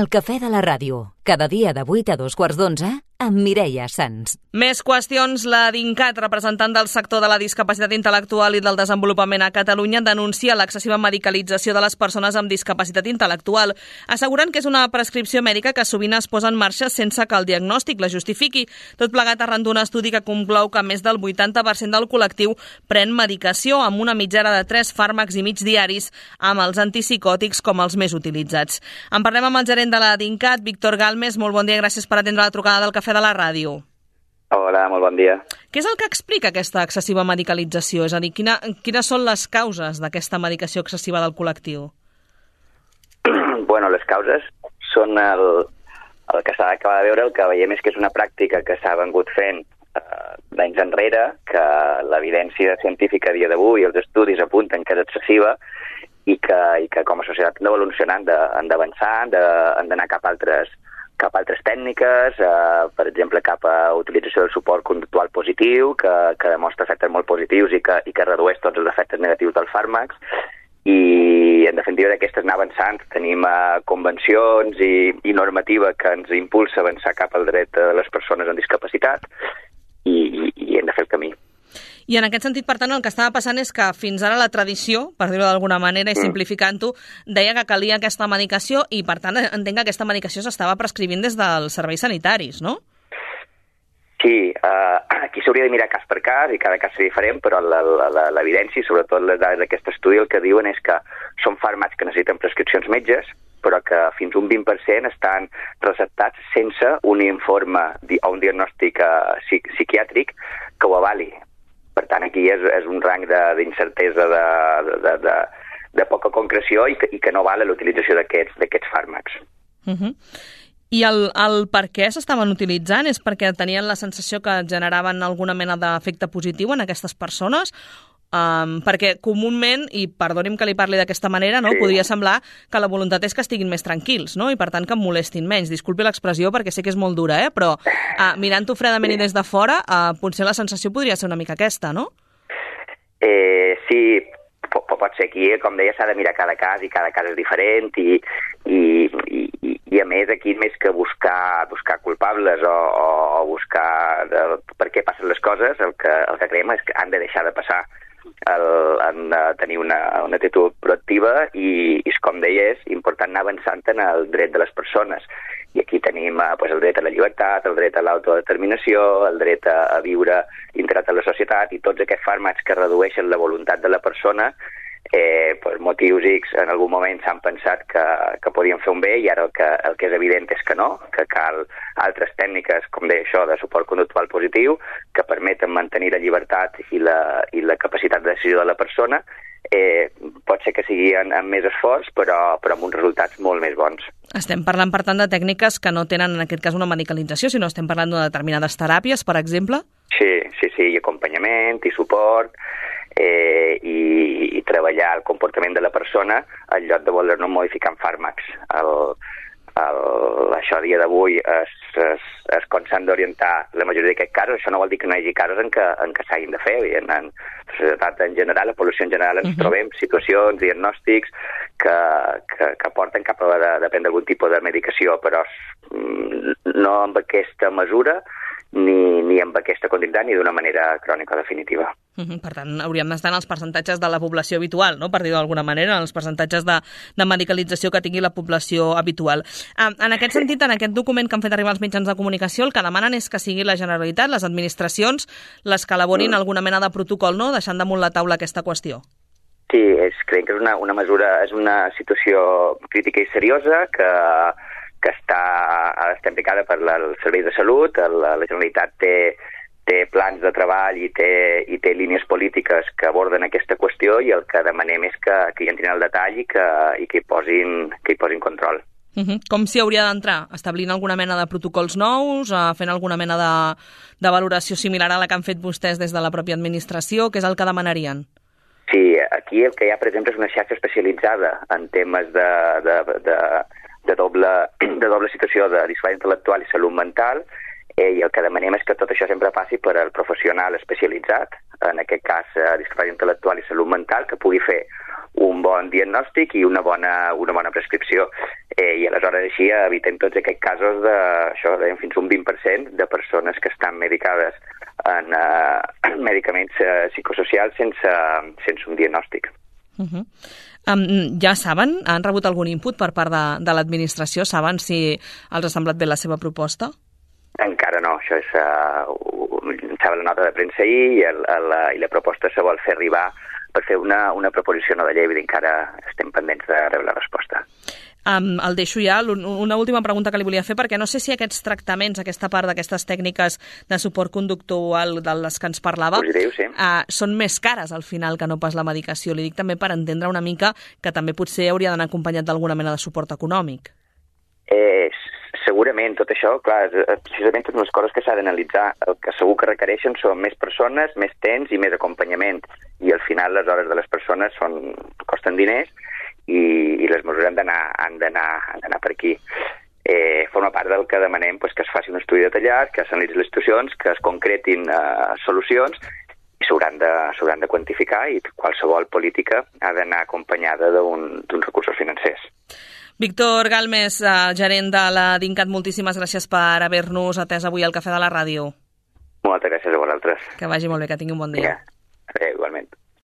El cafè de la ràdio, cada dia de 8 a 2:15, amb Mireia Sans. Més qüestions. La DINCAT, representant del sector de la discapacitat intel·lectual i del desenvolupament a Catalunya, denuncia l'excessiva medicalització de les persones amb discapacitat intel·lectual, assegurant que és una prescripció mèdica que sovint es posa en marxa sense que el diagnòstic la justifiqui, tot plegat arran d'un estudi que conclou que més del 80% del col·lectiu pren medicació amb una mitjana de 3 fàrmacs i mig diaris, amb els antipsicòtics com els més utilitzats. En parlem amb el gerent de la DINCAT, Víctor Galmes. Molt bon dia i gràcies per atendre la trucada del Cafè de la Ràdio. Hola, molt bon dia. Què és el que explica aquesta excessiva medicalització? És a dir, quines són les causes d'aquesta medicació excessiva del col·lectiu? Bueno, les causes són el que s'ha d'acabar de veure, el que veiem és que és una pràctica que s'ha vengut fent d'anys enrere, que l'evidència científica a dia d'avui i els estudis apunten que és excessiva i que com a societat hem d'evolucionar, han d'avançar, han d'anar cap a altres tècniques, per exemple, cap a utilització del suport conductual positiu, que demostra efectes molt positius i que redueix tots els efectes negatius dels fàrmacs. I, en definitiva, d'aquestes anar avançant. Tenim convencions i normativa que ens impulsa a avançar cap al dret de les persones amb discapacitat i hem de fer el camí. I en aquest sentit, per tant, el que estava passant és que fins ara la tradició, per dir-ho d'alguna manera i simplificant-ho, deia que calia aquesta medicació i, per tant, entenc que aquesta medicació s'estava prescrivint des dels serveis sanitaris, no? Sí, aquí s'hauria de mirar cas per cas i cada cas seria diferent, però l'evidència, i sobretot les dades d'aquest estudi, el que diuen és que són fàrmacs que necessiten prescripcions metges, però que fins un 20% estan receptats sense un informe o un diagnòstic psiquiàtric que ho avali. Per tant, aquí és un rang d'incertesa, de poca concreció i que no val l'utilització d'aquests fàrmacs. I el per què s'estaven utilitzant? És perquè tenien la sensació que generaven alguna mena d'efecte positiu en aquestes persones? Perquè comúment, i perdoni'm que li parli d'aquesta manera, no? Sí. Podria semblar que la voluntat és que estiguin més tranquils, no? I per tant que em molestin menys. Disculpi l'expressió perquè sé que és molt dura, però mirant-ho fredament i des de fora, potser la sensació podria ser una mica aquesta, no? Sí, pot ser. Aquí, com deia, s'ha de mirar cada cas i cada cas és diferent i a més aquí més que buscar culpables o buscar per què passen les coses, el que creiem és que han de deixar de passar. Han de tenir una actitud proactiva i, com deia, és important anar avançant en el dret de les persones. I aquí tenim el dret a la llibertat, el dret a l'autodeterminació, el dret a viure integrat a la societat i tots aquests fàrmacs que redueixen la voluntat de la persona. Per motius X en algun moment s'han pensat que podien fer un bé i ara el que és evident és que no, que cal altres tècniques, com deia això, de suport conductual positiu que permeten mantenir la llibertat i la capacitat de decisió de la persona. Pot ser que sigui amb més esforç, però amb uns resultats molt més bons. Estem parlant, per tant, de tècniques que no tenen, en aquest cas, una medicalització, sinó estem parlant de determinades teràpies, per exemple? Sí, i acompanyament, i suport, i treballar el comportament de la persona en lloc de voler-no modificar amb fàrmacs. Això a dia d'avui és com s'han d'orientar la majoria d'aquests casos. Això no vol dir que no hi hagi casos en què s'hagin de fer. En la societat en general, la població en general, ens trobem situacions, diagnòstics que porten cap a de prendre algun tipus de medicació, però no amb aquesta mesura ni amb aquesta continuïtat ni d'una manera crònica definitiva. Per tant, hauríem d'estar en els percentatges de la població habitual, no? Per dir-ho d'alguna manera, en els percentatges de medicalització que tingui la població habitual. En aquest sentit, en aquest document que han fet arribar els mitjans de comunicació, el que demanen és que sigui la Generalitat, les administracions, les que elaborin alguna mena de protocol, no? Deixant damunt la taula aquesta qüestió. Sí, creiem que és una mesura, és una situació crítica i seriosa que està implicada per els serveis de salut. La Generalitat té plans de treball i té línies polítiques que aborden aquesta qüestió i el que demanem és que hi entrin al detall i que hi posin control. Com s'hi hauria d'entrar? Establint alguna mena de protocols nous, fent alguna mena de valoració similar a la que han fet vostès des de la pròpia administració? Què és el que demanarien? Sí, aquí el que hi ha, per exemple, és una xarxa especialitzada en temes de doble situació de discapacitat intel·lectual i salut mental, i el que demanem és que tot això sempre passi per al professional especialitzat, en aquest cas discapacitat intel·lectual i salut mental, que pugui fer un bon diagnòstic i una bona prescripció. I aleshores així evitem tots aquests casos de fins un 20% de persones que estan medicades en medicaments psicosocials sense un diagnòstic. Ja saben, han rebut algun input per part de l'administració? Saben si els ha semblat bé la seva proposta? Encara no, això estava la nota de premsa ahir i la proposta se vol fer arribar per fer una proposició de llei, encara estem pendents de rebre la resposta. El deixo ja. Una última pregunta que li volia fer, perquè no sé si aquests tractaments, aquesta part d'aquestes tècniques de suport conductual de les que ens parlava, positiu, sí. Són més cares al final que no pas la medicació. Li dic també per entendre una mica que també potser hauria d'anar acompanyat d'alguna mena de suport econòmic. Segurament, tot això, clar, precisament totes les coses que s'ha d'analitzar. El que segur que requereixen són més persones, més temps i més acompanyament. I al final les hores de les persones costen diners i les mesures han d'anar per aquí. Forma part del que demanem que es faci un estudi detallat, que s'analitzin les situacions, que es concretin solucions i s'hauran de quantificar i qualsevol política ha d'anar acompanyada d'uns recursos financers. Víctor Galmes, gerent de la DINCAT, moltíssimes gràcies per haver-nos atès avui al Cafè de la Ràdio. Moltes gràcies a vosaltres. Que vagi molt bé, que tingui un bon dia. Igualment.